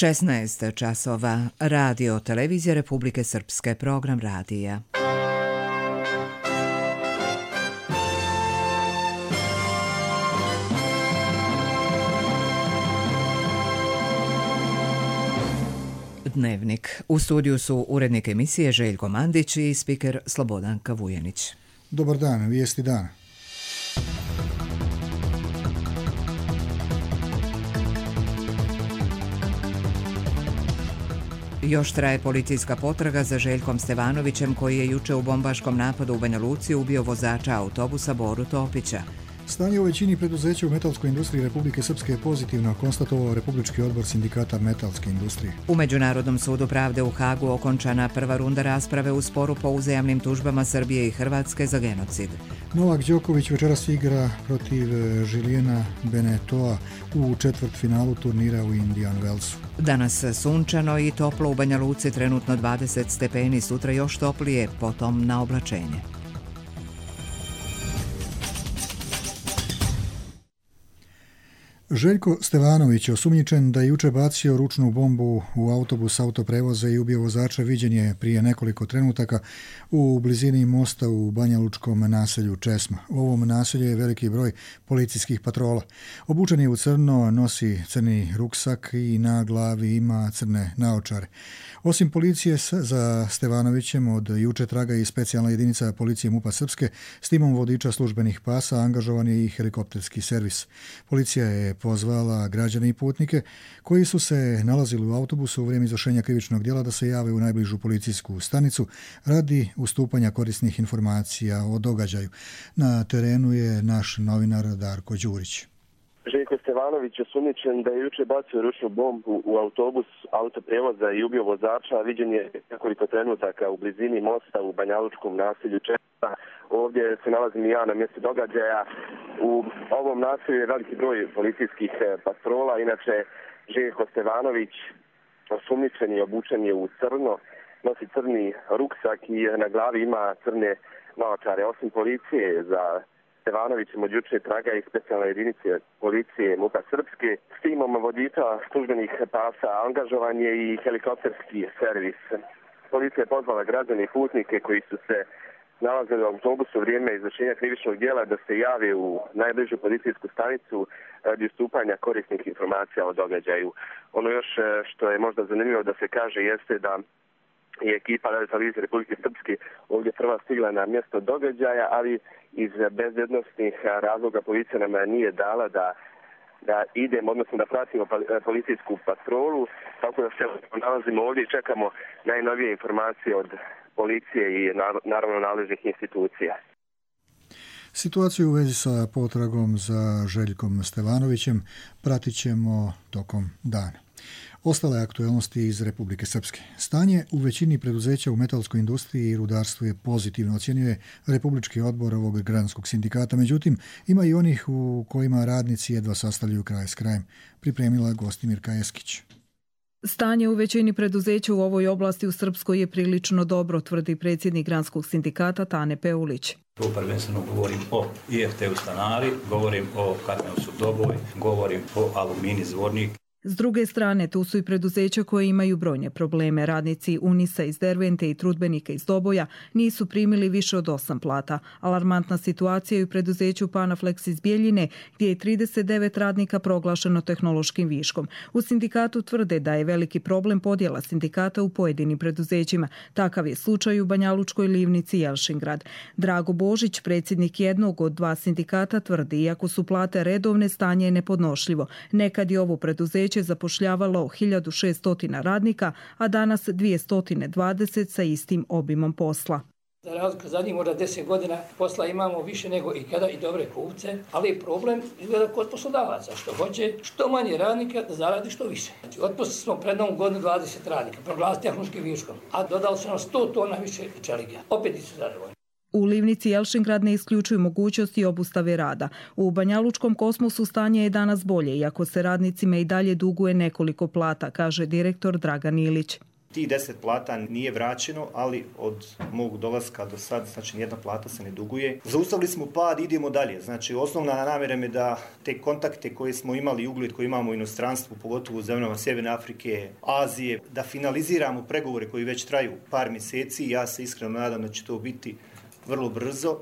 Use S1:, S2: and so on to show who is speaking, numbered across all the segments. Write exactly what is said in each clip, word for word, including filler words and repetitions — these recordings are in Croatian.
S1: šesnaest časova. Radio Televizija Republike Srpske, program radija. Dnevnik. U studiju su urednik emisije Željko Mandić i spiker Slobodanka Vujenić.
S2: Dobar dan, vijesti dana.
S1: Još traje policijska potraga za Željkom Stevanovićem, koji je juče u bombaškom napadu u Banja Luci ubio vozača autobusa Boru Topića.
S2: Stanje u većini preduzeća u metalskoj industriji Republike Srpske je pozitivno, konstatovao Republički odbor sindikata metalske industrije.
S1: U Međunarodnom sudu pravde u Hagu okončana prva runda rasprave u sporu po uzajamnim tužbama Srbije i Hrvatske za genocid.
S2: Novak Đoković večeras igra protiv Žilijena Benetoa u četvrtfinalu turnira u Indian Wellsu.
S1: Danas sunčano i toplo u Banja Luci, trenutno dvadeset stepeni, sutra još toplije, potom na oblačenje.
S2: Željko Stevanović, osumnjičen da je juče bacio ručnu bombu u autobus autoprevoza i ubio vozača, viđen je prije nekoliko trenutaka u blizini mosta u banjalučkom naselju Česma. U ovom naselju je veliki broj policijskih patrola. Obučen je u crno, nosi crni ruksak i na glavi ima crne naočare. Osim policije za Stevanovićem od juče traga i specijalna jedinica policije MUP-a Srpske s timom vodiča službenih pasa, angažovan je i helikopterski servis. Policija je pozvala građane i putnike koji su se nalazili u autobusu u vrijeme izvršenja krivičnog djela da se jave u najbližu policijsku stanicu radi ustupanja korisnih informacija o događaju. Na terenu je naš novinar Darko Đurić.
S3: Željko Stevanović je osumnjičen da je juče bacio ručnu bombu u autobus autoprevoza i ubio vozača. Viđen je nekoliko trenutaka u blizini mosta u banjalučkom naselju Česma. Ovdje se nalazim i ja na mjestu događaja. U ovom naselju je veliki broj policijskih patrola. Inače, Željko Stevanović osumnjičen i obučen je u crno, nosi crni ruksak i na glavi ima crne naočare. Osim policije za Stevanovićem od juče traga i specijalne jedinice policije MUP-a Srpske. S timom vodiča službenih pasa angažovan je i helikopterski servis. Policija je pozvala građane i putnike koji su se nalazili u autobusu u vrijeme izvršenja krivičnog djela da se jave u najbližu policijsku stanicu radi ustupanja korisnih informacija o događaju. Ono još što je možda zanimljivo da se kaže jeste da je ekipa televizije Republike Srpske ovdje prva stigla na mjesto događaja, ali iz bezbednosnih razloga policija nam nije dala da, da idemo, odnosno da pratimo policijsku patrolu, tako da se nalazimo ovdje i čekamo najnovije informacije od policije i naravno nadležnih institucija.
S2: Situaciju u vezi sa potragom za Željkom Stevanovićem pratit ćemo tokom dana. Ostale aktualnosti iz Republike Srpske. Stanje u većini preduzeća u metalskoj industriji i rudarstvu je pozitivno, ocjenjuje Republički odbor ovog granskog sindikata. Međutim, ima i onih u kojima radnici jedva sastavljaju kraj s krajem. Pripremila Gostimirka Eskić.
S4: Stanje u većini preduzeća u ovoj oblasti u Srpskoj je prilično dobro, tvrdi predsjednik granskog sindikata Tane Peulić.
S5: Tu prvenstveno govorim o I F T-u Stanari, govorim o Katneusu Doboj, govorim o Alumini Zvornik.
S4: S druge strane, tu su i preduzeća koje imaju brojne probleme. Radnici Unisa iz Dervente i Trudbenika iz Doboja nisu primili više od osam plata. Alarmantna situacija je u preduzeću Panaflex iz Bjeljine, gdje je trideset devet radnika proglašeno tehnološkim viškom. U sindikatu tvrde da je veliki problem podjela sindikata u pojedinim preduzećima. Takav je slučaj u Banjalučkoj livnici Jelšingrad. Drago Božić, predsjednik jednog od dva sindikata, tvrdi, iako su plate redovne, stanje je nepodnošljivo. Nekad je ovo preduzeće zapošljavalo hiljadu šesto radnika, a danas dvjesto dvadeset sa istim obimom posla.
S6: Za razliku zadnjih možda deset godina posla imamo više nego ikada i dobre kupce, ali je problem izgleda kod poslodavaca, što hoće što manje radnika da zaradi što više. Znači, otpustili smo pred novom godinu dvadeset radnika, proglasili tehnološkim viškom, a dodali su nam sto tona više čelika. Opet nisu zadovoljni.
S4: U livnici Jelšingrad ne isključuju mogućnosti obustave rada. U Banjalučkom Kosmosu stanje je danas bolje, iako se radnicima i dalje duguje nekoliko plata, kaže direktor Dragan Ilić.
S7: Ti deset plata nije vraćeno, ali od mog dolaska do sad, znači nijedna plata se ne duguje. Zaustavili smo pad, idemo dalje. Znači osnovna namjera je da te kontakte koje smo imali, ugled koji imamo u inostranstvu, pogotovo u zemljama Sjeverne Afrike, Azije, da finaliziramo pregovore koji već traju par mjeseci. Ja se iskreno nadam da će to biti vrlo brzo.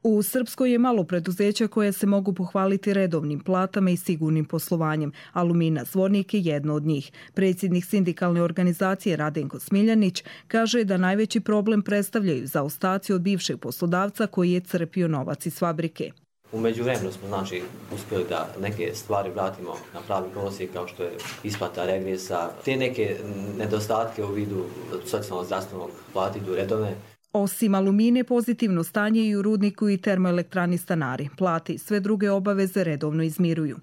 S4: U Srpskoj je malo preduzeća koje se mogu pohvaliti redovnim platama i sigurnim poslovanjem. Alumina Zvornik je jedno od njih. Predsjednik sindikalne organizacije Radenko Smiljanić kaže da najveći problem predstavljaju zaostaci od bivšeg poslodavca koji je crpio novac iz fabrike.
S8: U međuvremenu smo znači uspjeli da neke stvari vratimo na pravi kolosijek kao što je isplata regresa. Te neke nedostatke u vidu socijalnog zdravstvenog plati idu redovne.
S4: Osim alumine, pozitivno stanje i u rudniku i termoelektrani Stanari. Plate i sve druge obaveze redovno izmiruju.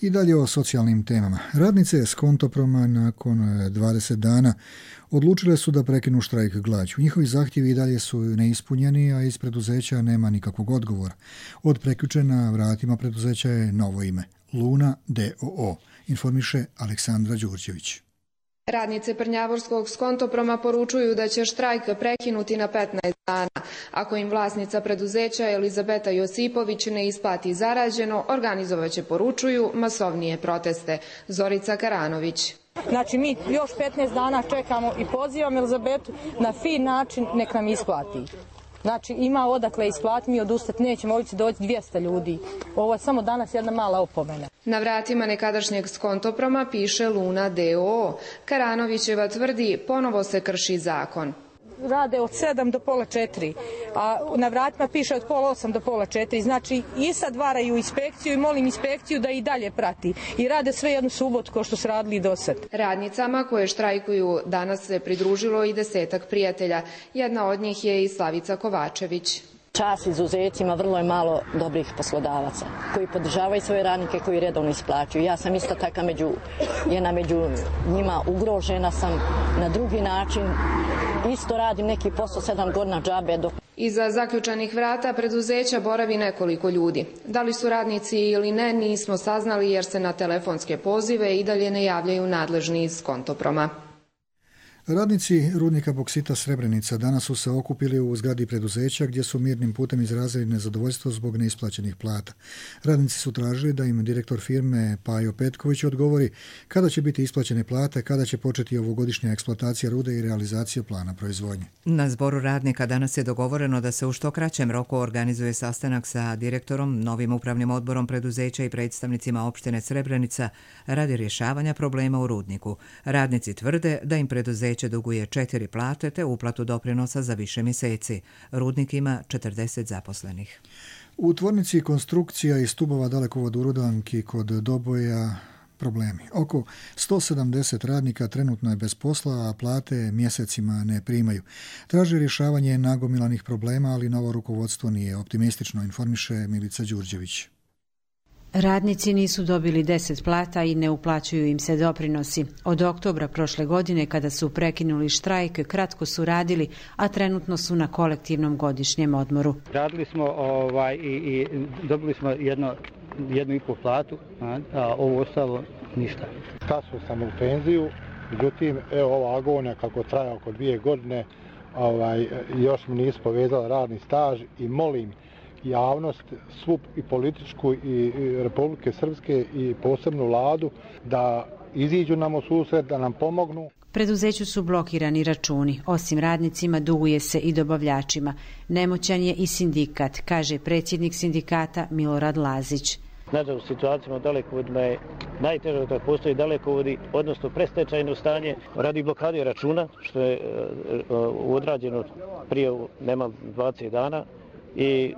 S2: I dalje o socijalnim temama. Radnice s Kontoproma nakon dvadeset dana odlučile su da prekinu štrajk glađu. Njihovi zahtjevi i dalje su neispunjeni, a iz preduzeća nema nikakvog odgovora. Od prekjuče na vratima preduzeća je novo ime – Luna d o o, informiše Aleksandra Đurđević.
S9: Radnice Prnjavorskog Skontoproma poručuju da će štrajk prekinuti na petnaest dana. Ako im vlasnica preduzeća Elizabeta Josipović ne isplati zarađeno, organizovaće, poručuju, masovnije proteste. Zorica Karanović.
S10: Znači mi još petnaest dana čekamo i pozivam Elizabetu na fin način nek nam isplati. Znači ima odakle isplatiti, mi odustati nećemo, ovdje će doći dvjesto ljudi. Ovo je samo danas jedna mala opomena.
S9: Na vratima nekadašnjeg Skontoproma piše Luna d o o. Karanovićeva tvrdi ponovo se krši zakon.
S10: Rade od sedam do pola četiri, a na vratima piše od pola osam do pola četiri. Znači i sad varaju inspekciju i molim inspekciju da i dalje prati. I rade sve jednu subotu kao što su radili do sad.
S9: Radnicama koje štrajkuju danas se pridružilo i desetak prijatelja. Jedna od njih je i Slavica Kovačević.
S11: Čast izuzecima, vrlo je malo dobrih poslodavaca koji podržavaju svoje radnike, koji redovno isplaćuju. Ja sam isto taka među, jedna među njima, ugrožena sam na drugi način. Isto radim neki posao sedam godina džabe. Dok...
S9: Iza zaključanih vrata preduzeća boravi nekoliko ljudi. Da li su radnici ili ne, nismo saznali jer se na telefonske pozive i dalje ne javljaju nadležni iz Kontoproma.
S2: Radnici rudnika boksita Srebrenica danas su se okupili u zgradi preduzeća gdje su mirnim putem izrazili nezadovoljstvo zbog neisplaćenih plata. Radnici su tražili da im direktor firme Pajo Petković odgovori kada će biti isplaćene plate, kada će početi ovogodišnja eksploatacija rude i realizacija plana proizvodnje.
S1: Na zboru radnika danas je dogovoreno da se u što kraćem roku organizuje sastanak sa direktorom, novim upravnim odborom preduzeća i predstavnicima opštine Srebrenica radi rješavanja problema u rudniku. Radnici tvrde da im preduzeće duguje četiri plate te uplatu doprinosa za više mjeseci. Rudnik ima četrdeset zaposlenih.
S2: U tvornici konstrukcija i stubova Dalekovod u Rudanki kod Doboja problemi. Oko sto sedamdeset radnika trenutno je bez posla, a plate mjesecima ne primaju. Traže rješavanje nagomilanih problema, ali novo rukovodstvo nije optimistično, informiše Milica Đurđević.
S12: Radnici nisu dobili deset plata i ne uplaćuju im se doprinosi. Od oktobra prošle godine, kada su prekinuli štrajk, kratko su radili, a trenutno su na kolektivnom godišnjem odmoru.
S13: Radili smo ovaj, i, i dobili smo jedno, jednu i pol platu, a, a ovo ostalo ništa.
S14: Kasno sam u penziju, međutim, evo ova agonija kako traja oko dvije godine, ovaj, još mi nisu povezali radni staž i molim javnost, svu i političku i Republike Srpske i posebnu vladu da iziđu nam u susret, da nam pomognu.
S12: Preduzeću su blokirani računi. Osim radnicima duguje se i dobavljačima. Nemoćan je i sindikat, kaže predsjednik sindikata Milorad Lazić.
S15: Nažalost, u situacijama dalekovodima je najteže da postoji dalekovodi, odnosno prestečajno stanje radi blokade računa, što je odrađeno prije nema dvadeset dana i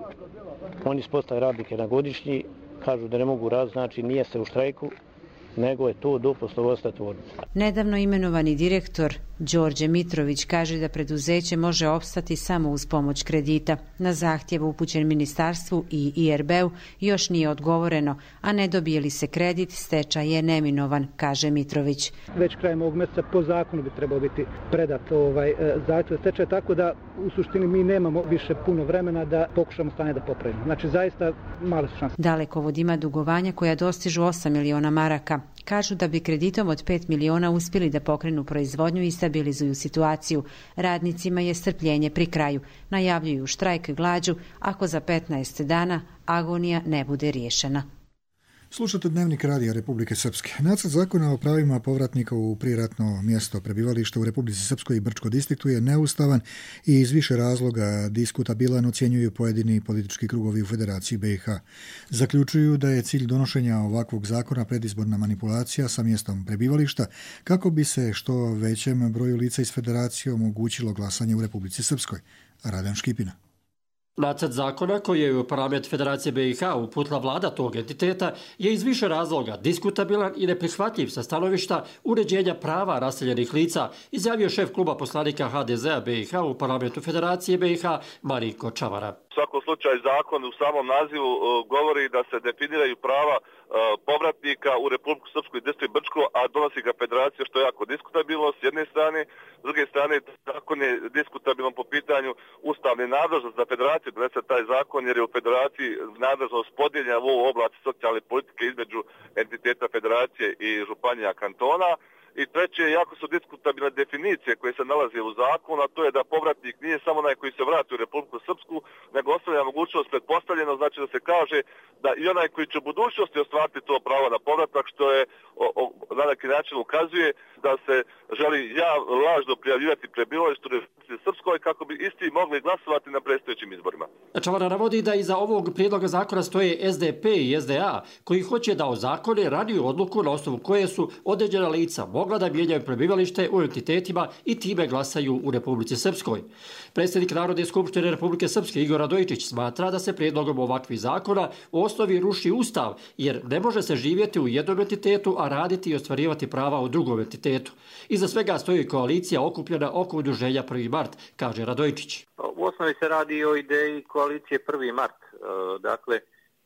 S15: oni spostaju radnike na godišnji, kažu da ne mogu raditi, znači nije se u štrajku, nego je to do poslovodstva tvornice.
S12: Nedavno imenovani direktor Đorđe Mitrović kaže da preduzeće može opstati samo uz pomoć kredita. Na zahtjev upućen ministarstvu i I R B-u još nije odgovoreno, a ne dobije li se kredit, stečaj je neminovan, kaže Mitrović.
S13: Već krajem ovog mjeseca po zakonu bi trebao biti predat ovaj zahtjev stečaj, tako da u suštini mi nemamo više puno vremena da pokušamo stanje da popravimo. Znači zaista male su šanse.
S12: Dalekovod ima dugovanja koja dostižu osam miliona maraka. Kažu da bi kreditom od pet miliona uspjeli da pokrenu proizvodnju i stabilizuju situaciju. Radnicima je strpljenje pri kraju. Najavljuju štrajk glađu ako za petnaest dana agonija ne bude riješena.
S2: Slušate Dnevnik radija Republike Srpske. Nacrt zakona o pravima povratnika u prijeratno mjesto prebivališta u Republici Srpskoj i Brčko distriktu je neustavan i iz više razloga diskutabilan, ocjenjuju pojedini politički krugovi u Federaciji B i H. Zaključuju da je cilj donošenja ovakvog zakona predizborna manipulacija sa mjestom prebivališta kako bi se što većem broju lica iz Federacije omogućilo glasanje u Republici Srpskoj. Radan Škipina.
S16: Nacrt zakona koji je u parlament Federacije B i H uputila vlada tog entiteta je iz više razloga diskutabilan i neprihvatljiv sa stanovišta uređenja prava raseljenih lica, izjavio šef kluba poslanika H D Z-a B i H u parlamentu Federacije B i H Marinko Čavara.
S17: U svakom slučaju zakon u samom nazivu govori da se definiraju prava povratnika u Republiku Srpsku i distrikt Brčko, a donosi ga Federacija, što je jako diskutabilno s jedne strane. S druge strane, zakon je diskutabilan po pitanju ustavne nadležnosti za Federaciju donese taj zakon, jer je u Federaciji nadležnost podijeljena u ovu oblast socijalne politike između entiteta Federacije i županija kantona. I treće, jako su diskutabilne definicije koje se nalaze u zakonu, a to je da povratnik nije samo onaj koji se vrati u Republiku Srpsku, nego ostavlja mogućnost pretpostavljeno, znači da se kaže da i onaj koji će u budućnosti ostvariti to pravo na povratak, što je o, o, na neki način ukazuje da se želi ja lažno prijavljivati prebivalište u Republici Srpskoj kako bi isti mogli glasovati na predstojećim izborima.
S16: Čavara navodi da iza ovog prijedloga zakona stoje S D P i S D A koji hoće da ozakone raniju odluku na osnovu koje su određena lica mogla da mijenjaju prebivalište u entitetima i time glasaju u Republici Srpskoj. Predsjednik Narodne skupštine Republike Srpske Igor Radojičić smatra da se prijedlogom ovakvih zakona u osnovi ruši ustav, jer ne može se živjeti u jednom entitetu, a raditi i ostvarivati prava u drugom entitetu. Iza svega stoji koalicija okupljena oko udruženja prvi mart, kaže Radojičić.
S18: U osnovi se radi o ideji koalicije prvi mart. Dakle,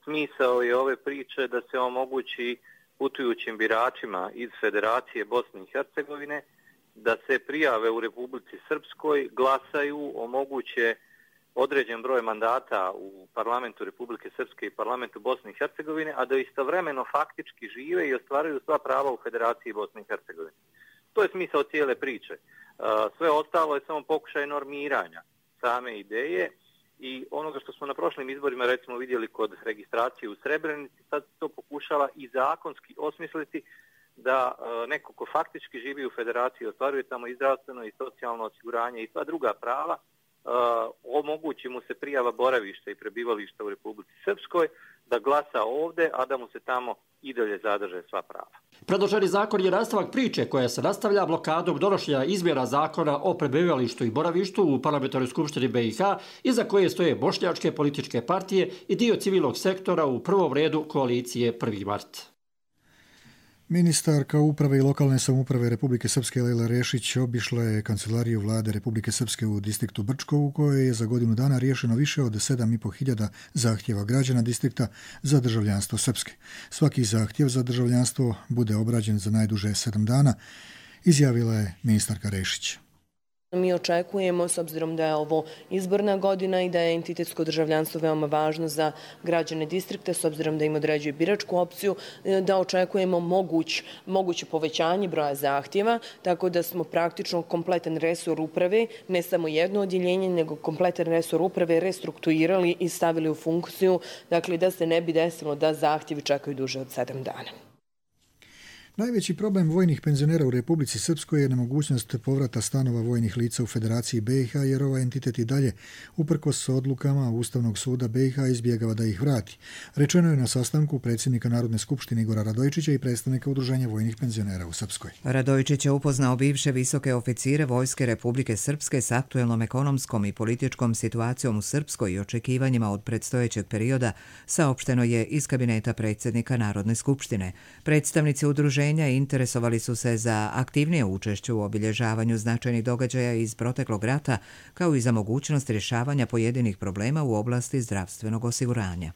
S18: smisao je ove priče da se omogući putujućim biračima iz Federacije Bosne i Hercegovine da se prijave u Republici Srpskoj, glasaju, omoguće određen broj mandata u parlamentu Republike Srpske i parlamentu Bosne i Hercegovine, a da istovremeno faktički žive i ostvaruju sva prava u Federaciji Bosne i Hercegovine. To je smisao cijele priče. Sve ostalo je samo pokušaj normiranja same ideje i onoga što smo na prošlim izborima recimo vidjeli kod registracije u Srebrenici, sad to pokušava i zakonski osmisliti da neko ko faktički živi u Federaciji ostvaruje tamo i zdravstveno i socijalno osiguranje i sva druga prava, omogući mu se prijava boravišta i prebivališta u Republici Srpskoj, da glasa ovdje, a da mu se tamo i dalje zadrže sva prava.
S16: Predloženi zakon je nastavak priče koja se nastavlja blokadom donošenja izmjena zakona o prebivalištu i boravištu u parlamentarnoj skupštini B i H, iza koje stoje bošnjačke političke partije i dio civilnog sektora, u prvom redu koalicije prvi mart.
S2: Ministarka uprave i lokalne samouprave Republike Srpske Lejla Rešić obišla je kancelariju vlade Republike Srpske u distriktu Brčko, u kojoj je za godinu dana riješeno više od sedam i po hiljada zahtjeva građana distrikta za državljanstvo Srpske. Svaki zahtjev za državljanstvo bude obrađen za najduže sedam dana, izjavila je ministarka Rešić.
S19: Mi očekujemo, s obzirom da je ovo izborna godina i da je entitetsko državljanstvo veoma važno za građane distrikta, s obzirom da im određuje biračku opciju, da očekujemo moguć, moguće povećanje broja zahtjeva, tako da smo praktično kompletan resor uprave, ne samo jedno odjeljenje, nego kompletan resor uprave restrukturirali i stavili u funkciju, dakle da se ne bi desilo da zahtjevi čekaju duže od sedam dana.
S2: Najveći problem vojnih penzionera u Republici Srpskoj je nemogućnost povrata stanova vojnih lica u Federaciji B i H, jer ovaj entitet i dalje, uprkos odlukama Ustavnog suda B i H, izbjegava da ih vrati. Rečeno je na sastanku predsjednika Narodne skupštine Igora Radojičića i predstavnika Udruženja vojnih penzionera u Srpskoj.
S1: Radojičić je upoznao bivše visoke oficire Vojske Republike Srpske s aktuelnom ekonomskom i političkom situacijom u Srpskoj i očekivanjima od predstojećeg perioda, saopšteno je iz kabineta predsjednika Narodne skupštine. Predstavnici udruženja interesovali su se za aktivnije učešće u obilježavanju značajnih događaja iz proteklog rata, kao i za mogućnost rješavanja pojedinih problema u oblasti zdravstvenog osiguranja.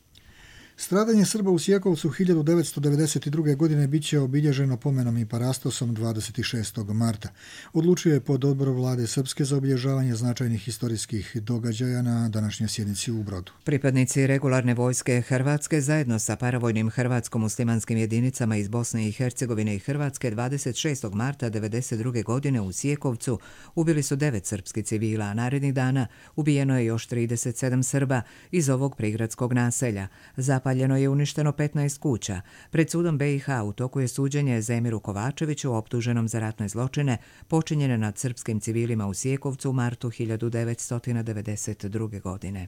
S2: Stradanje Srba u Sjekovcu hiljadu devetsto devedeset druge. godine bit će obilježeno pomenom i parastosom dvadeset šestog marta. Odlučio je pod odborom vlade Srpske za obilježavanje značajnih historijskih događaja na današnjoj sjednici u Brodu.
S1: Pripadnici regularne vojske Hrvatske zajedno sa paravojnim hrvatsko-muslimanskim jedinicama iz Bosne i Hercegovine i Hrvatske dvadeset šestog marta devedeset druge. godine u Sjekovcu ubili su devet srpskih civila, a narednih dana ubijeno je još trideset sedam Srba iz ovog prigradskog naselja. Zapaljeno je uništeno petnaest kuća. Pred sudom B i H u toku je suđenje Zemiru Kovačeviću, optuženom za ratne zločine počinjene nad srpskim civilima u Sjekovcu u martu hiljadu devetsto devedeset druge. godine.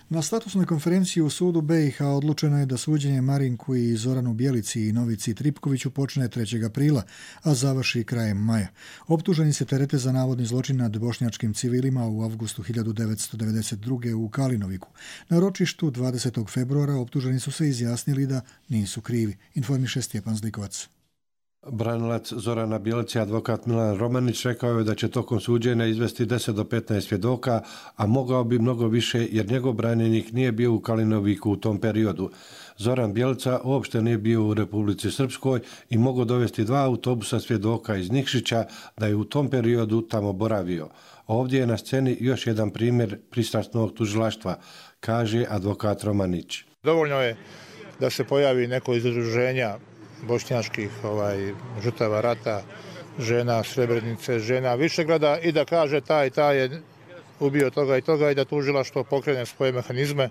S2: Na statusnoj konferenciji u sudu B i H odlučeno je da suđenje Marinku i Zoranu Bjelici i Novici Tripkoviću počne trećeg aprila, a završi krajem maja. Optuženi se terete za navodni zločin nad bošnjačkim civilima u avgustu hiljadu devetsto devedeset druge. u Kalinoviku. Na ročištu dvadesetog februara optuženi su se izjasnili da nisu krivi, informiše Stjepan Zlikovac.
S20: Branilac Zorana Bjelici, advokat Milan Romanić, rekao je da će tokom suđenja izvesti deset do petnaest svjedoka, a mogao bi mnogo više jer njegov branjenik nije bio u Kalinoviku u tom periodu. Zoran Bjelica uopšte nije bio u Republici Srpskoj i mogao dovesti dva autobusa svjedoka iz Nikšića da je u tom periodu tamo boravio. Ovdje je na sceni još jedan primjer pristrasnog tužilaštva, kaže advokat Romanić.
S14: Dovoljno je da se pojavi neko iz udruženja bošnjačkih ovaj, žrtava rata, žena Srebrenice, žena Višegrada i da kaže taj taj je ubio toga i toga i da tužilaštvo pokrene svoje mehanizme,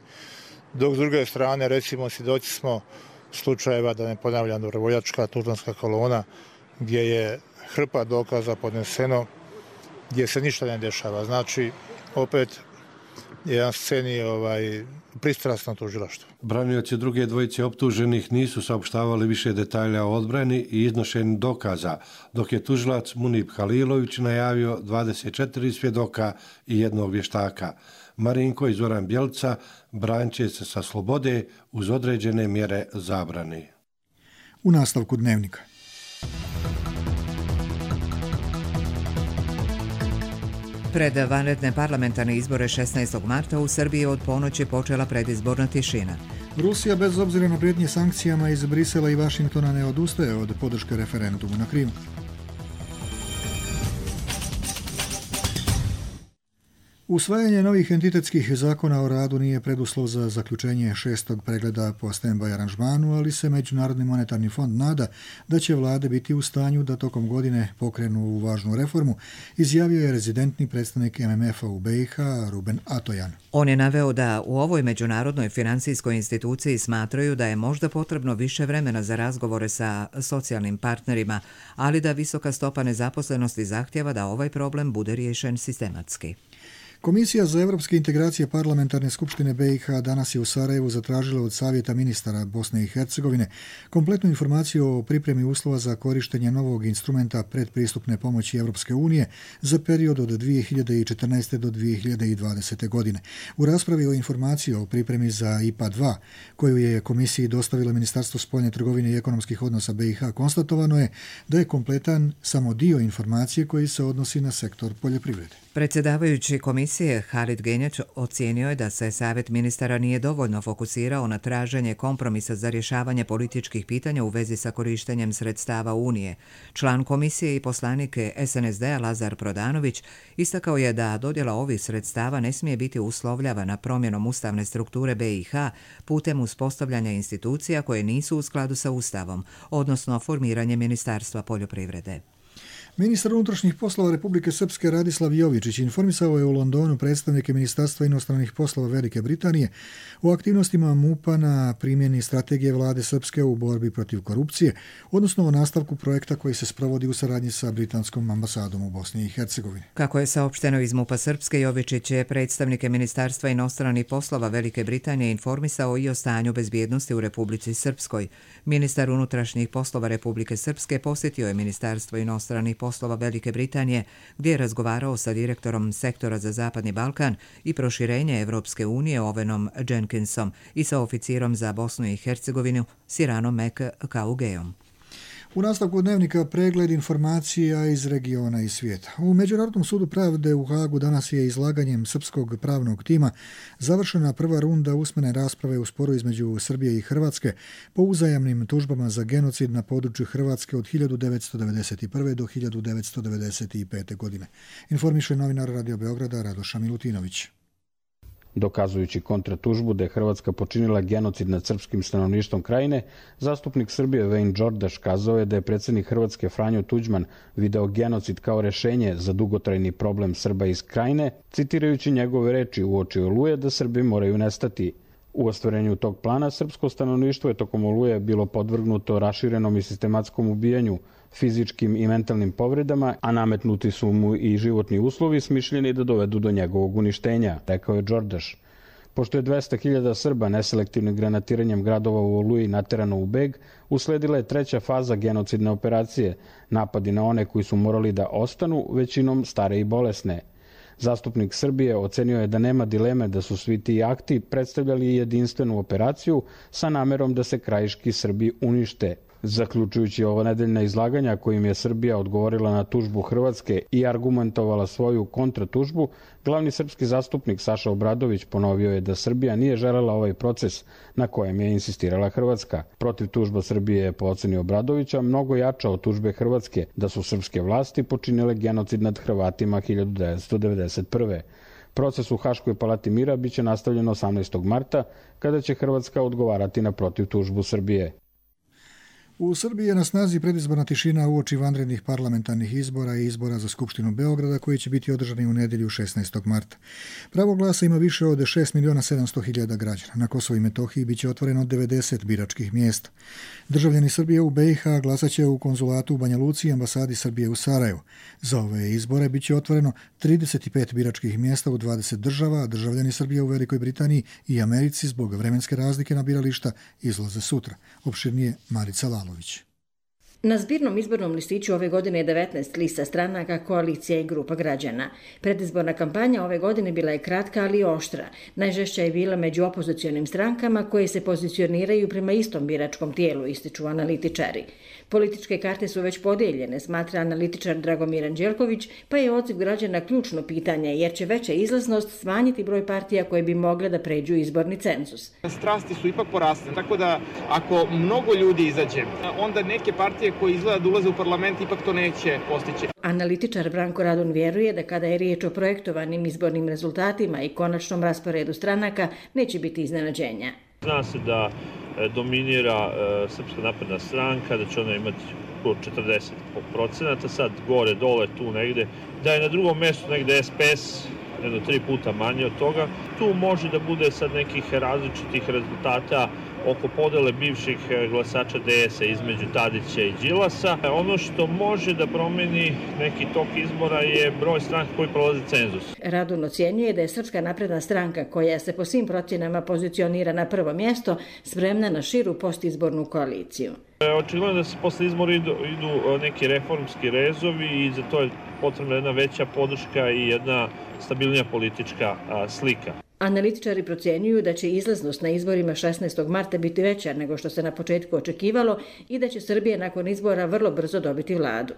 S14: dok s druge strane, recimo, svjedoci smo slučajeva, da ne ponavljam, dobrovoljačka tužbanska kolona, gdje je hrpa dokaza podneseno, gdje se ništa ne dešava. Znači, opet je na sceni ovaj, pristrasno tužilaštvo.
S20: Branioci druge dvojice optuženih nisu saopštavali više detalja o odbrani i iznošenju dokaza, dok je tužilac Munib Halilović najavio dvadeset četiri svjedoka i jednog vještaka. Marinko i Zoran Bjelica branit će se sa slobode uz određene mjere zabrane.
S2: U nastavku dnevnika.
S1: Pred vanredne parlamentarne izbore šesnaestog marta u Srbiji od ponoći počela predizborna tišina.
S2: Rusija bez obzira na prijetnje sankcijama iz Brisela i Vašingtona ne odustaje od podrške referendumu na Krimu. Usvajanje novih entitetskih zakona o radu nije preduslov za zaključenje šestog pregleda po stand-by aranžmanu, ali se Međunarodni monetarni fond nada da će vlade biti u stanju da tokom godine pokrenu ovu važnu reformu, izjavio je rezidentni predstavnik M M F-a u B i H Ruben Atojan.
S1: On je naveo da u ovoj međunarodnoj financijskoj instituciji smatraju da je možda potrebno više vremena za razgovore sa socijalnim partnerima, ali da visoka stopa nezaposlenosti zahtjeva da ovaj problem bude riješen sistematski.
S2: Komisija za evropske integracije Parlamentarne skupštine B i H danas je u Sarajevu zatražila od Savjeta ministara Bosne i Hercegovine kompletnu informaciju o pripremi uslova za korištenje novog instrumenta predpristupne pomoći Evropske unije za period od dvije hiljade četrnaeste do dvije hiljade dvadesete. godine. U raspravi o informaciji o pripremi za I P A dva, koju je komisiji dostavilo Ministarstvo spoljne trgovine i ekonomskih odnosa B i H, konstatovano je da je kompletan samo dio informacije koji se odnosi na sektor poljoprivrede.
S1: Predsjedavajući komisije Halid Genjač ocijenio je da se Savjet ministara nije dovoljno fokusirao na traženje kompromisa za rješavanje političkih pitanja u vezi sa korištenjem sredstava Unije. Član komisije i poslanik S N S D-a Lazar Prodanović istakao je da dodjela ovih sredstava ne smije biti uslovljavana promjenom ustavne strukture B i H putem uspostavljanja institucija koje nisu u skladu sa Ustavom, odnosno formiranje Ministarstva poljoprivrede.
S2: Ministar unutrašnjih poslova Republike Srpske Radislav Jovičić informisao je u Londonu predstavnike Ministarstva inostranih poslova Velike Britanije o aktivnostima M U P-a na primjeni strategije vlade Srpske u borbi protiv korupcije, odnosno o nastavku projekta koji se sprovodi u saradnji sa britanskom ambasadom u Bosni i Hercegovini.
S1: Kako je saopšteno iz M U P-a Srpske, Jovičić je predstavnike Ministarstva inostranih poslova Velike Britanije informisao i o stanju bezbjednosti u Republici Srpskoj. Ministar unutrašnjih poslova Republike Srpske posjetio je Ministarstvo inostranih poslova Velike Britanije, gdje je razgovarao sa direktorom sektora za Zapadni Balkan i proširenje Evropske unije Ovenom Jenkinsom i sa oficirom za Bosnu i Hercegovinu Siranom Mek Kaugeom.
S2: U nastavku dnevnika pregled informacija iz regiona i svijeta. U Međunarodnom sudu pravde u Hagu danas je izlaganjem srpskog pravnog tima završena prva runda usmene rasprave u sporu između Srbije i Hrvatske po uzajamnim tužbama za genocid na području Hrvatske od hiljadu devetsto devedeset prve. do hiljadu devetsto devedeset pete. godine. Informiše novinar Radio Beograda Radoša Milutinović.
S21: Dokazujući kontratužbu da je Hrvatska počinila genocid nad srpskim stanovništvom krajine, zastupnik Srbije Vejn Đordaš kazao je da je predsjednik Hrvatske Franjo Tuđman video genocid kao rešenje za dugotrajni problem Srba iz krajine, citirajući njegove reči uoči Oluje da Srbi moraju nestati. U ostvarenju tog plana srpsko stanovništvo je tokom Oluje bilo podvrgnuto raširenom i sistematskom ubijanju, fizičkim i mentalnim povredama, a nametnuti su mu i životni uslovi smišljeni da dovedu do njegovog uništenja, rekao je Đordaš. Pošto je dvesta hiljada Srba neselektivnim granatiranjem gradova u Oluji naterano u beg, usledila je treća faza genocidne operacije, napadi na one koji su morali da ostanu, većinom stare i bolesne. Zastupnik Srbije ocenio je da nema dileme da su svi ti akti predstavljali jedinstvenu operaciju sa namerom da se krajiški Srbi unište. Zaključujući ovo nedeljna izlaganja kojim je Srbija odgovorila na tužbu Hrvatske i argumentovala svoju kontratužbu, glavni srpski zastupnik Saša Obradović ponovio je da Srbija nije želela ovaj proces na kojem je insistirala Hrvatska. Protiv tužba Srbije je po oceni Obradovića mnogo jača od tužbe Hrvatske da su srpske vlasti počinile genocid nad Hrvatima hiljadu devetsto devedeset prve. Proces u Haškoj palati mira biće nastavljen osamnaestog marta, kada će Hrvatska odgovarati na protiv tužbu Srbije.
S2: U Srbiji je na snazi predizborna tišina uoči vanrednih parlamentarnih izbora i izbora za Skupštinu Beograda koji će biti održani u nedjelju šesnaestog marta. Pravo glasa ima više od šest miliona sedamsto hiljada građana. Na Kosovu i Metohiji biće otvoreno devedeset biračkih mjesta. Državljani Srbije u B i H glasaće u konzulatu u Banja Luci i ambasadi Srbije u Sarajevu. Za ove izbore biće otvoreno trideset pet biračkih mjesta u dvadeset država, a državljani Srbije u Velikoj Britaniji i Americi zbog vremenske razlike na birališta izlaze sutra. Opširnije Marica Lalo.
S22: Na zbirnom izbornom listiću ove godine je devetnaest lista stranaka, koalicija i grupa građana. Predizborna kampanja ove godine bila je kratka, ali oštra. Najžešća je bila među opozicionim strankama koje se pozicioniraju prema istom biračkom tijelu, ističu analitičari. Političke karte su već podijeljene, smatra analitičar Dragomir Anđelković, pa je odziv građana ključno pitanje, jer će veća izlaznost smanjiti broj partija koje bi mogle da pređu izborni cenzus.
S23: Strasti su ipak porasle, tako da ako mnogo ljudi izađe, onda neke partije koje izgleda da ulaze u parlament ipak to neće postići.
S22: Analitičar Branko Radun vjeruje da kada je riječ o projektovanim izbornim rezultatima i konačnom rasporedu stranaka, neće biti iznenađenja.
S24: Zna se da dominira Srpska napredna stranka, da će ona imati četrdeset procenata, sad gore, dole, tu negde, da je na drugom mjestu negde S P S, jedno tri puta manje od toga. Tu može da bude sad nekih različitih rezultata oko podele bivših glasača D S-a između Tadića i Đilasa. Ono što može da promeni neki tok izbora je broj stranaka koji prolaze cenzus.
S22: Radun ocjenjuje da je Srpska napredna stranka, koja se po svim procjenama pozicionira na prvo mjesto, spremna na širu postizbornu koaliciju.
S24: Očigledno da se posle izbora idu, idu neki reformski rezovi i za to je potrebna jedna veća podrška i jedna stabilnija politička slika.
S22: Analitičari procjenjuju da će izlaznost na izborima šesnaestog marta biti veća nego što se na početku očekivalo i da će Srbija nakon izbora vrlo brzo dobiti vladu.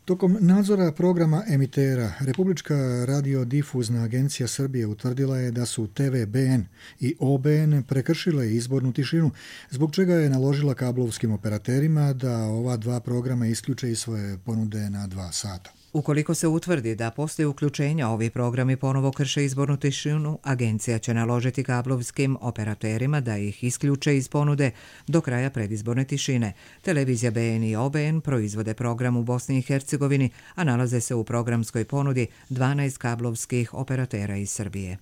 S2: Tokom nadzora programa emitera, Republička radiodifuzna agencija Srbije utvrdila je da su T V B N i O B N prekršile izbornu tišinu, zbog čega je naložila kablovskim operaterima da ova dva programa isključe iz svoje ponude na dva sata.
S1: Ukoliko se utvrdi da poslije uključenja ovi programi ponovo krše izbornu tišinu, agencija će naložiti kablovskim operaterima da ih isključe iz ponude do kraja predizborne tišine. Televizija B N i O B N proizvode program u Bosni i Hercegovini, a nalaze se u programskoj ponudi dvanaest kablovskih operatera iz Srbije.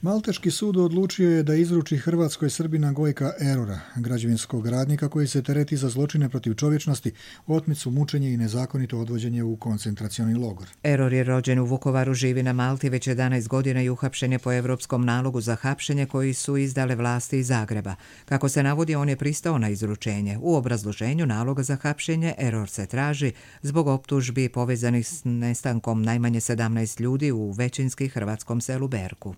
S2: Malteški sud odlučio je da izruči Hrvatskoj Srbina Gojka Erora, građevinskog radnika koji se tereti za zločine protiv čovječnosti, otmicu, mučenje i nezakonito odvođenje u koncentracioni logor.
S1: Eror je rođen u Vukovaru, živi na Malti već jedanaest godina i uhapšen je po evropskom nalogu za hapšenje koji su izdale vlasti iz Zagreba. Kako se navodi, on je pristao na izručenje. U obrazloženju naloga za hapšenje Eror se traži zbog optužbi povezanih s nestankom najmanje sedamnaest ljudi u većinski hrvatskom selu Berku.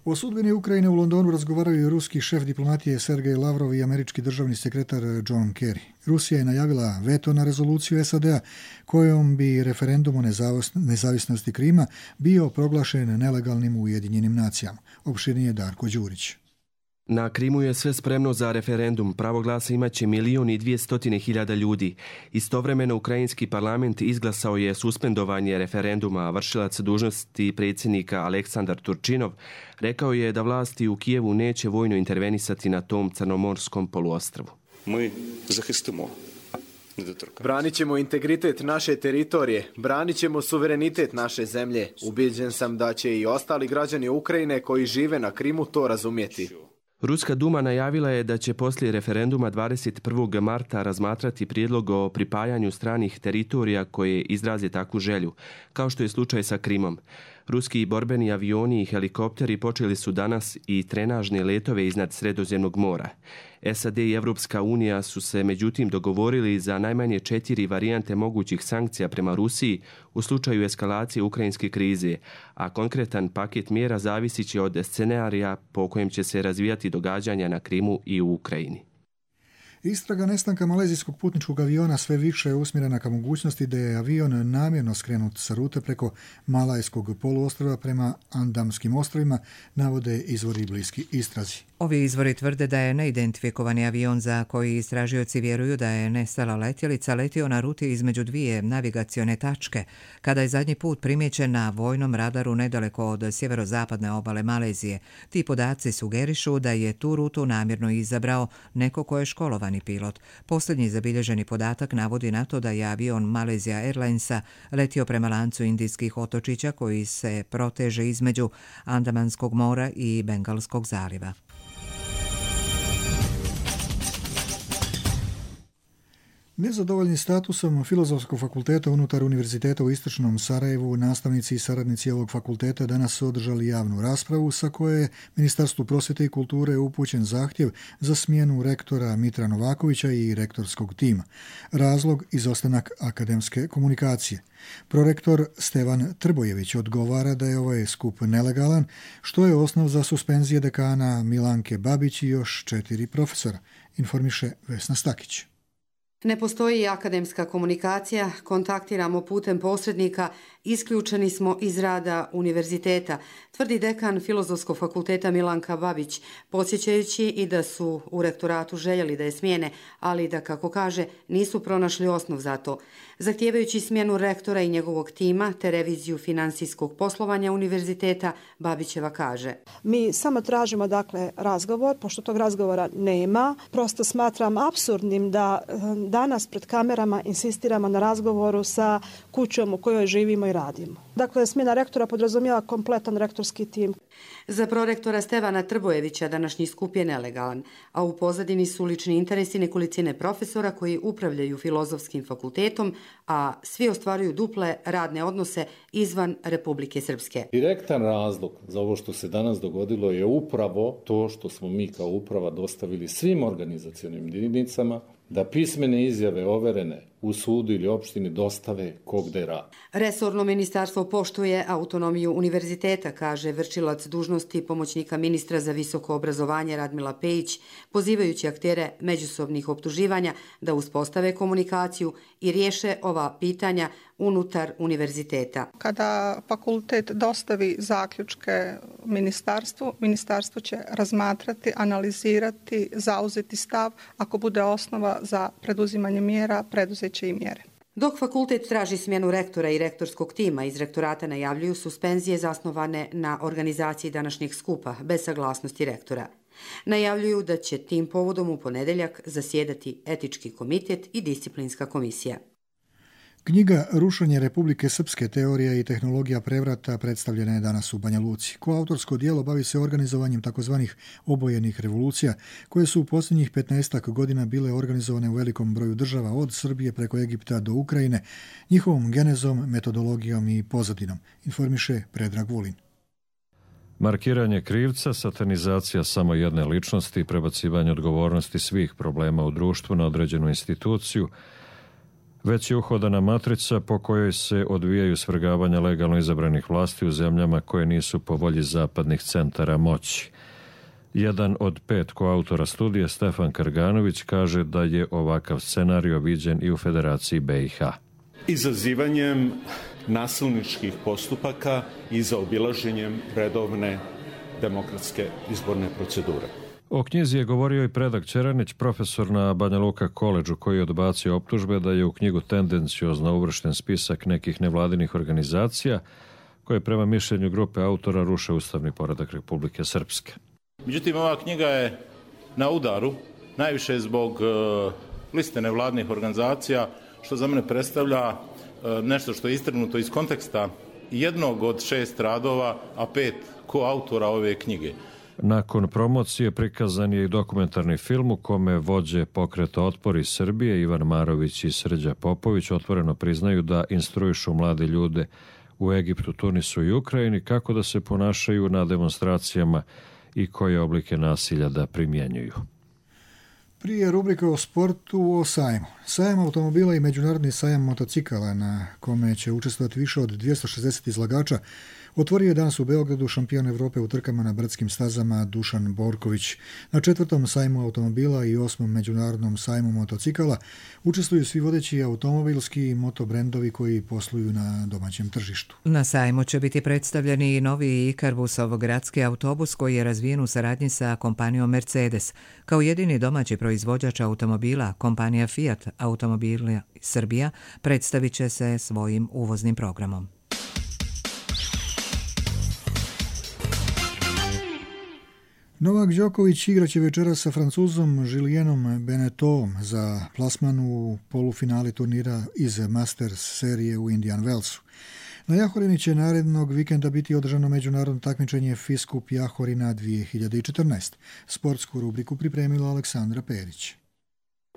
S2: O sudbini Ukrajine u Londonu razgovaraju i ruski šef diplomatije Sergej Lavrov i američki državni sekretar John Kerry. Rusija je najavila veto na rezoluciju S A D-a kojom bi referendum o nezavisnosti Krima bio proglašen nelegalnim u Ujedinjenim nacijama. Opširnije Darko Đurić.
S3: Na Krimu je sve spremno za referendum. Pravo glasa imaće milijun i dvijestotine hiljada ljudi. Istovremeno ukrajinski parlament izglasao je suspendovanje referenduma, a vršilac dužnosti predsjednika Aleksandar Turčinov rekao je da vlasti u Kijevu neće vojno intervenisati na tom crnomorskom poluostrvu.
S5: Mi zahistimo.
S6: Branit ćemo integritet naše teritorije, branit ćemo suverenitet naše zemlje. Ubijeđen sam da će i ostali građani Ukrajine koji žive na Krimu to razumjeti.
S3: Ruska duma najavila je da će poslije referenduma dvadeset prvog marta razmatrati prijedlog o pripajanju stranih teritorija koje izraze takvu želju, kao što je slučaj sa Krimom. Ruski borbeni avioni i helikopteri počeli su danas i trenažne letove iznad Sredozemnog mora. S A D i Evropska unija su se međutim dogovorili za najmanje četiri varijante mogućih sankcija prema Rusiji u slučaju eskalacije ukrajinske krize, a konkretan paket mjera zavisit će od scenarija po kojem će se razvijati događanja na Krimu i u Ukrajini.
S2: Istraga nestanka malezijskog putničkog aviona sve više je usmjerena ka mogućnosti da je avion namjerno skrenut sa rute preko Malajskog poluostrva prema Andamskim ostrovima, navode izvori bliski istrazi.
S1: Ovi izvori tvrde da je neidentifikovani avion za koji istražioci vjeruju da je nestala letjelica letio na ruti između dvije navigacione tačke, kada je zadnji put primijećen na vojnom radaru nedaleko od sjeverozapadne obale Malezije. Ti podaci sugerišu da je tu rutu namjerno izabrao neko ko je školovani pilot. Posljednji zabilježeni podatak navodi na to da je avion Malaysia Airlinesa letio prema lancu indijskih otočića koji se proteže između Andamanskog mora i Bengalskog zaliva.
S2: Nezadovoljni statusom Filozofskog fakulteta unutar Univerziteta u Istočnom Sarajevu, nastavnici i saradnici ovog fakulteta danas su održali javnu raspravu sa koje je Ministarstvu prosvjete i kulture upućen zahtjev za smjenu rektora Mitra Novakovića i rektorskog tima. Razlog izostanak akademske komunikacije. Prorektor Stevan Trbojević odgovara da je ovaj skup nelegalan, što je osnov za suspenzije dekana Milanke Babić i još četiri profesora, informiše Vesna Stakić.
S7: Ne postoji akademska komunikacija, kontaktiramo putem posrednika, isključeni smo iz rada univerziteta, tvrdi dekan Filozofskog fakulteta Milanka Babić, podsjećajući i da su u rektoratu željeli da je smijene, ali da, kako kaže, nisu pronašli osnov za to. Zahtijevajući smjenu rektora i njegovog tima te reviziju finansijskog poslovanja univerziteta, Babićeva kaže:
S25: Mi samo tražimo dakle razgovor, pošto tog razgovora nema. Prosto smatram apsurdnim da danas pred kamerama insistiramo na razgovoru sa kućom u kojoj živimo i radimo. Dakle, smjena rektora podrazumijeva kompletan rektorski tim.
S7: Za prorektora Stevana Trbojevića današnji skup je nelegalan, a u pozadini su lični interesi nekolicine profesora koji upravljaju Filozofskim fakultetom, a svi ostvaruju duple radne odnose izvan Republike Srpske.
S26: Direktan razlog za ovo što se danas dogodilo je upravo to što smo mi kao uprava dostavili svim organizacionim jedinicama da pismene izjave overene u sudu ili opštini dostave ko gde radi.
S7: Resorno ministarstvo poštuje autonomiju univerziteta, kaže vršilac dužnosti pomoćnika ministra za visoko obrazovanje Radmila Pejić, pozivajući aktere međusobnih optuživanja da uspostave komunikaciju i riješe ova pitanja unutar univerziteta.
S27: Kada fakultet dostavi zaključke ministarstvu, ministarstvo će razmatrati, analizirati, zauzeti stav, ako bude osnova za preduzimanje mjera, preduzeće i mjere.
S7: Dok fakultet traži smjenu rektora i rektorskog tima, iz rektorata najavljuju suspenzije zasnovane na organizaciji današnjeg skupa bez saglasnosti rektora. Najavljuju da će tim povodom u ponedjeljak zasjedati etički komitet i disciplinska komisija.
S2: Knjiga Rušenje Republike Srpske, teorija i tehnologija prevrata predstavljena je danas u Banja Luci. Koautorsko djelo bavi se organizovanjem takozvanih obojenih revolucija, koje su u posljednjih petnaestak godina bile organizovane u velikom broju država od Srbije preko Egipta do Ukrajine, njihovom genezom, metodologijom i pozadinom, informiše Predrag Vulin.
S28: Markiranje krivca, satanizacija samo jedne ličnosti i prebacivanje odgovornosti svih problema u društvu na određenu instituciju Već je uhodana matrica po kojoj se odvijaju svrgavanja legalno izabranih vlasti u zemljama koje nisu po volji zapadnih centara moći. Jedan od pet koautora studije, Stefan Karganović, kaže da je ovakav scenario viđen i u Federaciji B i H.
S4: Izazivanjem nasilničkih postupaka i zaobilaženjem redovne demokratske izborne procedure.
S28: O knjizi je govorio i Predrag Čeranić, profesor na Banja Luka koledžu, koji je odbacio optužbe da je u knjigu tendenciozno uvršten spisak nekih nevladinih organizacija koje prema mišljenju grupe autora ruše ustavni poredak Republike Srpske.
S4: Međutim, ova knjiga je na udaru, najviše zbog uh, liste nevladinih organizacija, što za mene predstavlja uh, nešto što je istrgnuto iz konteksta jednog od šest radova, a pet koautora ove knjige.
S28: Nakon promocije prikazan je i dokumentarni film u kome vođe pokreta Otpor iz Srbije, Ivan Marović i Srđa Popović, otvoreno priznaju da instruišu mlade ljude u Egiptu, Tunisu i Ukrajini kako da se ponašaju na demonstracijama i koje oblike nasilja da primjenjuju.
S2: Prije rubrike o sportu, o sajmu. Sajam automobila i međunarodni sajam motocikala, na kome će učestvovati više od dvjesto šezdeset izlagača, otvorio je danas u Beogradu šampion Evrope u trkama na brdskim stazama Dušan Borković. Na četvrtom sajmu automobila i osmom međunarodnom sajmu motocikala učestvuju svi vodeći automobilski i motobrendovi koji posluju na domaćem tržištu.
S1: Na sajmu će biti predstavljeni i novi Ikarbusov gradski autobus koji je razvijen u saradnji sa kompanijom Mercedes. Kao jedini domaći proizvođač automobila, kompanija Fiat Automobila Srbija predstavit će se svojim uvoznim programom.
S2: Novak Đoković igraće večeras sa Francuzom Julienom Bennetom za plasman u polufinali turnira iz Masters serije u Indian Wellsu. Na Jahorini će narednog vikenda biti održano međunarodno takmičenje FIS Cup Jahorina dvije hiljade četrnaest. Sportsku rubriku pripremila Aleksandra Perić.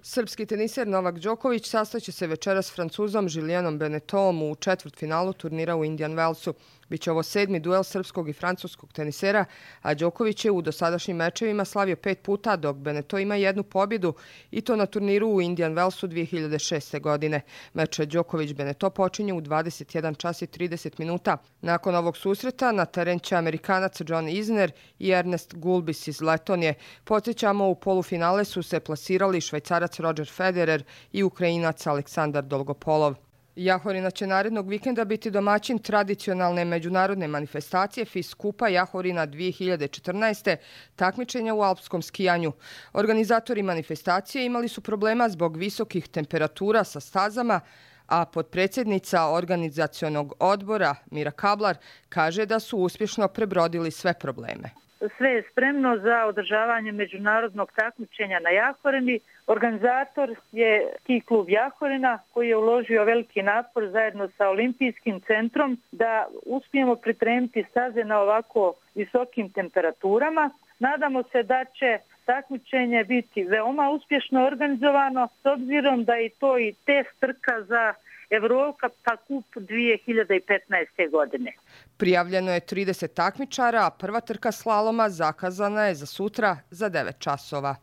S8: Srpski teniser Novak Đoković sastaće se večeras s Francuzom Julienom Bennetom u četvrtfinalu turnira u Indian Wellsu. Biće ovo sedmi duel srpskog i francuskog tenisera, a Đoković je u dosadašnjim mečevima slavio pet puta, dok Benneto ima jednu pobjedu i to na turniru u Indian Wellsu dvije hiljade šeste. godine. Meč Đoković-Benneto počinje u dvadeset jedan čas i trideset minuta. Nakon ovog susreta na teren će Amerikanac John Isner i Ernest Gulbis iz Letonije. Podsjećamo, u polufinale su se plasirali Švajcarac Roger Federer i Ukrajinac Aleksandar Dolgopolov. Jahorina će narednog vikenda biti domaćin tradicionalne međunarodne manifestacije FIS Kupa Jahorina dvije hiljade četrnaest. takmičenja u alpskom skijanju. Organizatori manifestacije imali su problema zbog visokih temperatura sa stazama, a potpredsjednica organizacionog odbora Mira Kablar kaže da su uspješno prebrodili sve probleme.
S9: Sve je spremno za održavanje međunarodnog takmičenja na Jahorini. Organizator je ski klub Jahorina koji je uložio veliki napor zajedno sa Olimpijskim centrom da uspijemo pripremiti staze na ovako visokim temperaturama. Nadamo se da će takmičenje biti veoma uspješno organizovano s obzirom da je to i test trka za Evropa Cup dvije hiljade petnaeste. godine.
S8: Prijavljeno je trideset takmičara, a prva trka slaloma zakazana je za sutra za devet časova.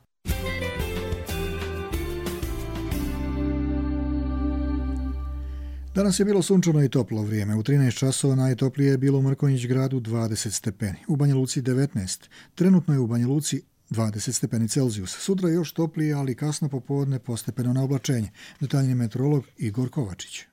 S2: Danas je bilo sunčano i toplo vrijeme. U trinaest časova najtoplije je bilo u Mrkonjić gradu dvadeset stepeni, u Banja Luci devetnaest. Trenutno je u Banja Luci dvadeset stepeni Celzijus. Sutra još toplije, ali kasno popodne postepeno na oblačenje. Detaljni meteorolog Igor Kovačić.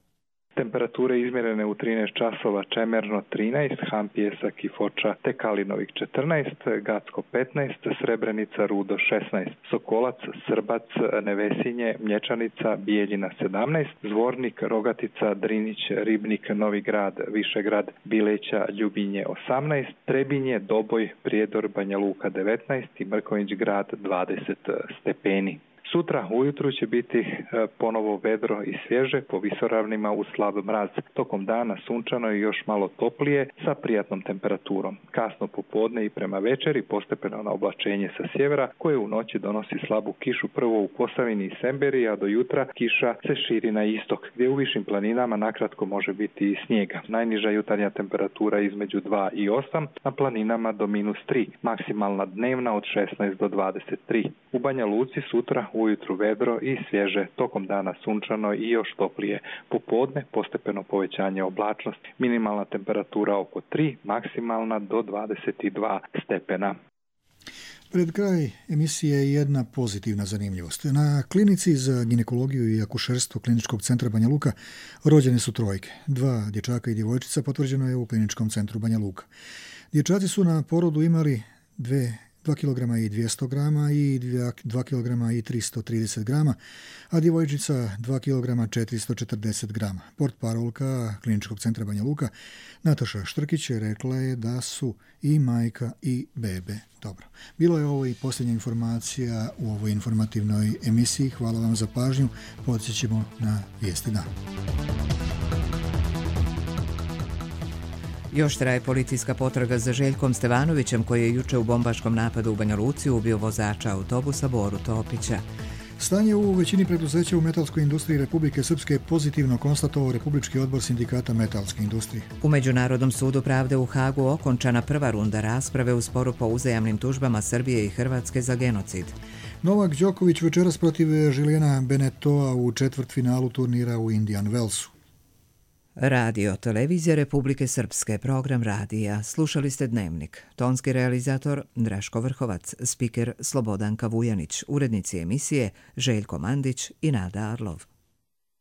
S10: Temperature izmjerene u trinaest časova: Čemerno trinaest, Hampjesak i Foča te Kalinovik četrnaest, Gacko petnaest, Srebrenica, Rudo šesnaest, Sokolac, Srbac, Nevesinje, Mlječanica, Bijeljina sedamnaest, Zvornik, Rogatica, Drinić, Ribnik, Novi Grad, Višegrad, Bileća, Ljubinje osamnaest, Trebinje, Doboj, Prijedor, Banja Luka devetnaest i Mrkonjić grad dvadeset stepeni. Sutra ujutru će biti ponovo vedro i svježe, po visoravnima uz slab mraz. Tokom dana sunčano i još malo toplije sa prijatnom temperaturom. Kasno popodne i prema večeri postepeno na oblačenje sa sjevera koje u noći donosi slabu kišu prvo u Posavini i Semberi, a do jutra kiša se širi na istok, gdje u višim planinama nakratko može biti i snijega. Najniža jutarnja temperatura između dva i osam, na planinama do minus tri, maksimalna dnevna od šesnaest do dvadeset tri. U Banja Luci sutra ujutru vedro i svježe, tokom dana sunčano i još toplije. Popodne postepeno povećanje oblačnosti. Minimalna temperatura oko tri, maksimalna do dvadeset dva stepena.
S2: Pred kraj emisije jedna pozitivna zanimljivost. Na klinici za ginekologiju i akušerstvo Kliničkog centra Banja Luka rođene su trojke. Dva dječaka i djevojčica potvrđeno je u Kliničkom centru Banja Luka. Dječaci su na porodu imali dve dva kilograma i dvjesto grama i dva kilograma i tristo trideset grama, a djevojčica dva kilograma četiristo četrdeset grama. Portparolka Kliničkog centra Banja Luka Nataša Štrkić je rekla je da su i majka i bebe dobro. Bilo je ovo i posljednja informacija u ovoj informativnoj emisiji. Hvala vam za pažnju. Podsjećamo na vijesti dana.
S1: Još traje policijska potraga za Željkom Stevanovićem koji je juče u bombaškom napadu u Banja Luci ubio vozača autobusa Boru Topića.
S2: Stanje u većini preduzeća u metalskoj industriji Republike Srpske pozitivno konstatovao Republički odbor sindikata metalske industrije.
S1: U Međunarodnom sudu pravde u Hagu okončana prva runda rasprave u sporu po uzajamnim tužbama Srbije i Hrvatske za genocid.
S2: Novak Đoković večeras protiv Žilijana Benetoa u četvrtfinalu turnira u Indian Wellsu.
S1: Radio Televizija Republike Srpske, program radija. Slušali ste Dnevnik. Tonski realizator Draško Vrhovac, spiker Slobodanka Vujanić, urednici emisije Željko Mandić i Nada Arlov.